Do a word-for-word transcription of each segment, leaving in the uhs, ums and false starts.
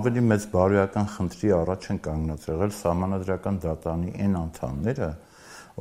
ավելի մեծ բարոյական խնդրի առաջ են կանգնած եղել Սահմանադրական դատարանի այն անդամները,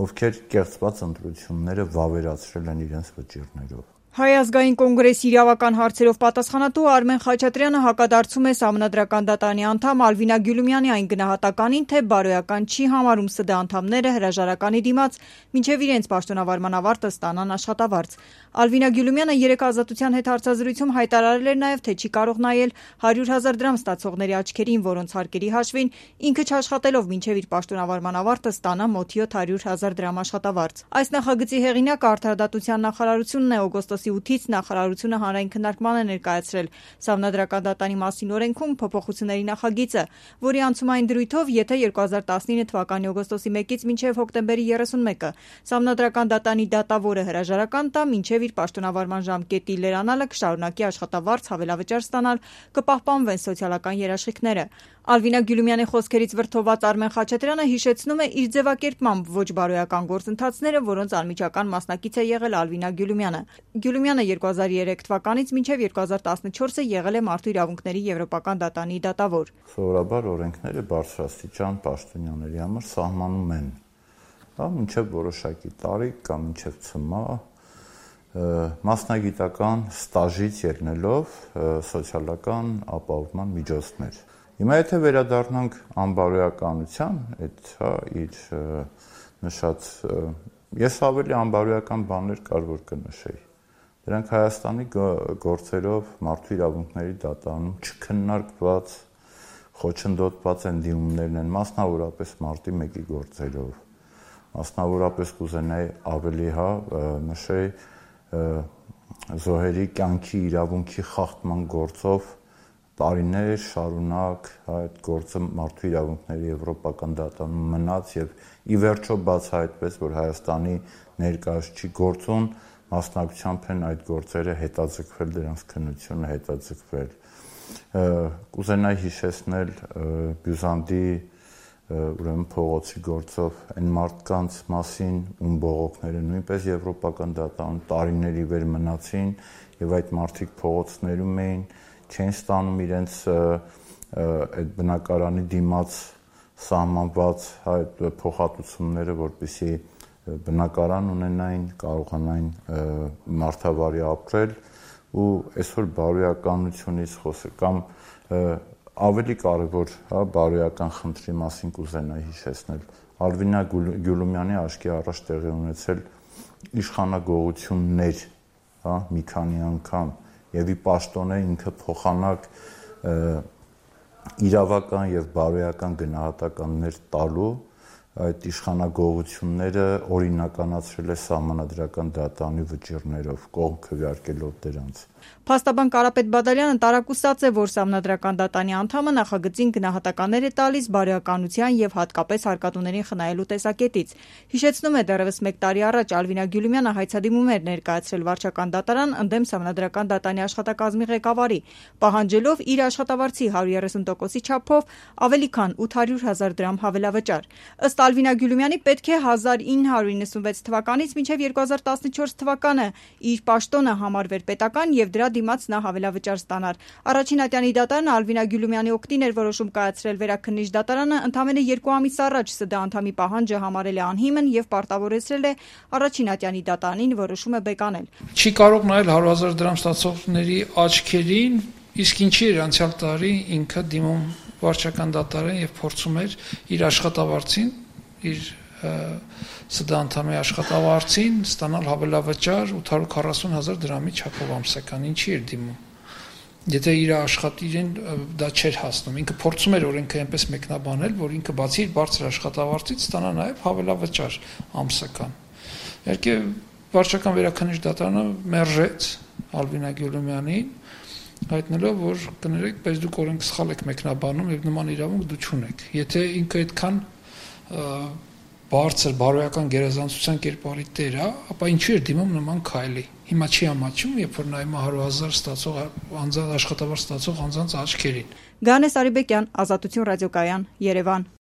ովքեր կեղծված ընտրությունները վավերացրել են իրենց վճիռներով։ Հայ ազգային կոնգրեսի իրավական հարցերով պատասխանատու Արմեն Խաչատրյանը հակադարձում է Սահմանադրական դատարանի անդամ Ալվինա Գյուլումյանի այն գնահատականին, թե բարոյական չի համարում ՍԴ անդամները հրաժարականի դիմաց մինչև իրենց պաշտոնավարման ավարտը ստանան աշխատավարձ։ Ալվինա Գյուլումյանը երեկ Ազատության հետ հարցազրույցում հայտարարել էր նաև, թե չի կարող նայել հարյուր հազար դրամ ստացողների աչքերին, որոնց հարկերի հաշվին ինքը չաշխատելով մինչև իր պաշտոնավարման ավարտը ստանա մոտ յոթ հարյուր հազար դրամ աշխատավարձ։ Այս նախագծի հեղինակը Արդարադատության նախարարությունն է, օգոստոսի ութից նախարարությունը հանրային քննարկման է ներկայացրել Սահմանադրական դատարանի մասին օրենքում փոփոխությունների նախագիծը, որի անցումային դրույթով, եթե երկու հազար տասնինը թվականի օգոստոսի մեկից մինչև հոկտեմբերի երեսունմեկը Սահմանադրական դատարանի դատավորը հրաժարական տա, մինչև իր պաշտոնավարման ժամկետի լրանալը կշարունակի աշխատավարձ հավելավճար ստանալ, կպահպանվեն սոցիալական երաշխիքները։ Ալվինա Գյուլումյանի խոսքերից վրդովված Արմեն Խաչատրյանը հիշեցնում է իր ձևակերպմամբ ոչ բարոյական գործընթացները, որոնց անմիջական մասնակից է եղել Ալվինա Գյուլումյանը։ Գյուլումյանը երկու հազար երեք թվականից մինչև երկու հազար տասնչորսը եղել է Մարդու իրավունքների Եվրոպական դատարանի դատավոր։ Սովորաբար օրենքները բարձրաստիճան պաշտոնյաների համար սահմանում են, հա, մինչև որոշակի տարիք կամ մինչև ցմահ մասնագիտական ստաժից ելնելով սոցիալական ապահովման միջոցներ։ Հիմա եթե վերադառնանք անբարոյականության, այդ հա իր նշած, ես ավելի անբարոյական բաներ կար որ կնշեի։ Դրանք Հայաստանի գործերով Մարդու իրավունքների դատարանում չքննարկված, խոչընդոտված են դիմումներն են, մասնավորապես մարտի մեկի գործերով, մասնավորապես կուզենայի ավելի հա նշեի զոհերի կյանքի իրավունքի խախտման գործով տարիներ շարունակ այդ գործը Մարդու իրավունքների Եվրոպական դատարանում մնաց եւ ի վերջո բացահայտվեց, որ Հայաստանի ներկայացուցիչի գործում մասնակցությամբ են այդ գործերը հետաձգվել, դրանց քննությունը հետաձգվել։ Կուզենայի հիշեցնել Բյուզանդի ուրեմն փողոցի գործով այն մարդկանց մասին, ում բողոքները նույնպես Եվրոպական դատարանում տարիների վեր մնացին եւ այդ մարդիկ փողոցներում էին, չեն ստանում իրենց այդ բնակարանի դիմաց սահմանված այդ փոխհատուցումները, որպեսզի բնակարան ունենային, կարողանային մարդավարի ապրել ու այսօր բարոյականությունից խոսել կամ ավելի կարևոր, հա, բարոյական խնդրի մասին կուզենայի հիշեցնել։ Ալվինա Գյուլումյանի աչքի առաջ տեղի ունեցել իշխանագողություններ, հա, մի քանի անգամ եւ ի պաշտոնե ինքը փոխանակ իրավական եւ բարոյական գնահատականներ տալու այդ իշխանագողությունները օրինականացրել է Սահմանադրական դատարանի վճիռներով, կողմ քվեարկելով դրանց։ Փաստաբան Կարապետ Բադալյանը տարակուսած է, որ Սահմանադրական դատարանի անդամը նախագծին գնահատականներ է տալիս բարոյականության եւ հատկապես հարկատուներին խնայելու տեսակետից։ Հիշեցնում է, դեռևս մեկ տարի առաջ Ալվինա Գյուլումյանը հայցադիմում էր ներկայացրել վարչական դատարան ընդդեմ Սահմանադրական դատարանի աշխատակազմի ղեկավարի, պահանջելով իր աշխատավարձի հարյուր երեսուն տոկոսի չափով ավելի քան ութ հարյուր հազար դրամ հավելավճար։ Ըստ Ալվինա Գյուլումյանի պետք է հազար ինը հարյուր իննսունվեց թվականից մինչև երկու հազար տասնչորս թվականը իր պաշտոնը համարվեր պետական եւ դրա դիմաց նա հավելավճար ստանար։ Առաջին ատյանի դատարանը Ալվինա Գյուլումյանի օգտին էր որոշում կայացրել վերաքննիչ դատարանը ընդամենը երկու ամիս առաջ ՍԴ անդամի պահանջը համարել է անհիմն եւ պարտավորեցրել է առաջին ատյանի դատարանին որոշումը բեկանել։ Չի կարող նայել հարյուր հազար դրամ ստացողների աչքերին, իսկ ինչի էր անցյալ տարի ինքը դիմում վարչական դատարան եւ փորձում էր իր աշխատավարձին, իր ՍԴ անդամի աշխատավարձին ստանալ հավելավճար ութ հարյուր քառասուն հազար դրամի չափով ամսական, ինչի էր դիմում։ Եթե իր աշխատիրին դա չէր հասնում, ինքը փորձում էր օրենքը այնպես մեկնաբանել, որ ինքը բացի իր բարձր աշխատավարձից ստանա նաև հավելավճար ամսական։ Իհարկե վարչական վերաքննիչ դատարանը մերժեց Ալվինա Գյուլումյանին, հայտնելով, որ կներեք, բայց դուք օրենք սխալ եք մեկնաբանում եւ նման իրավունք դու չունեք։ Եթե ինքը այդքան բարձր բարոյական գերազանցության կերպարի տեր է, ապա ինչու էր դիմում նման քայլի։ Հիմա չի ամաչում, երբ որ նայում հարյուր հազար ստացող անձանց աշխատավարձ ստացող անձանց աչքերին։ Գանես Արիբեկյան, Ազատություն ռադիոկայան, Երևան։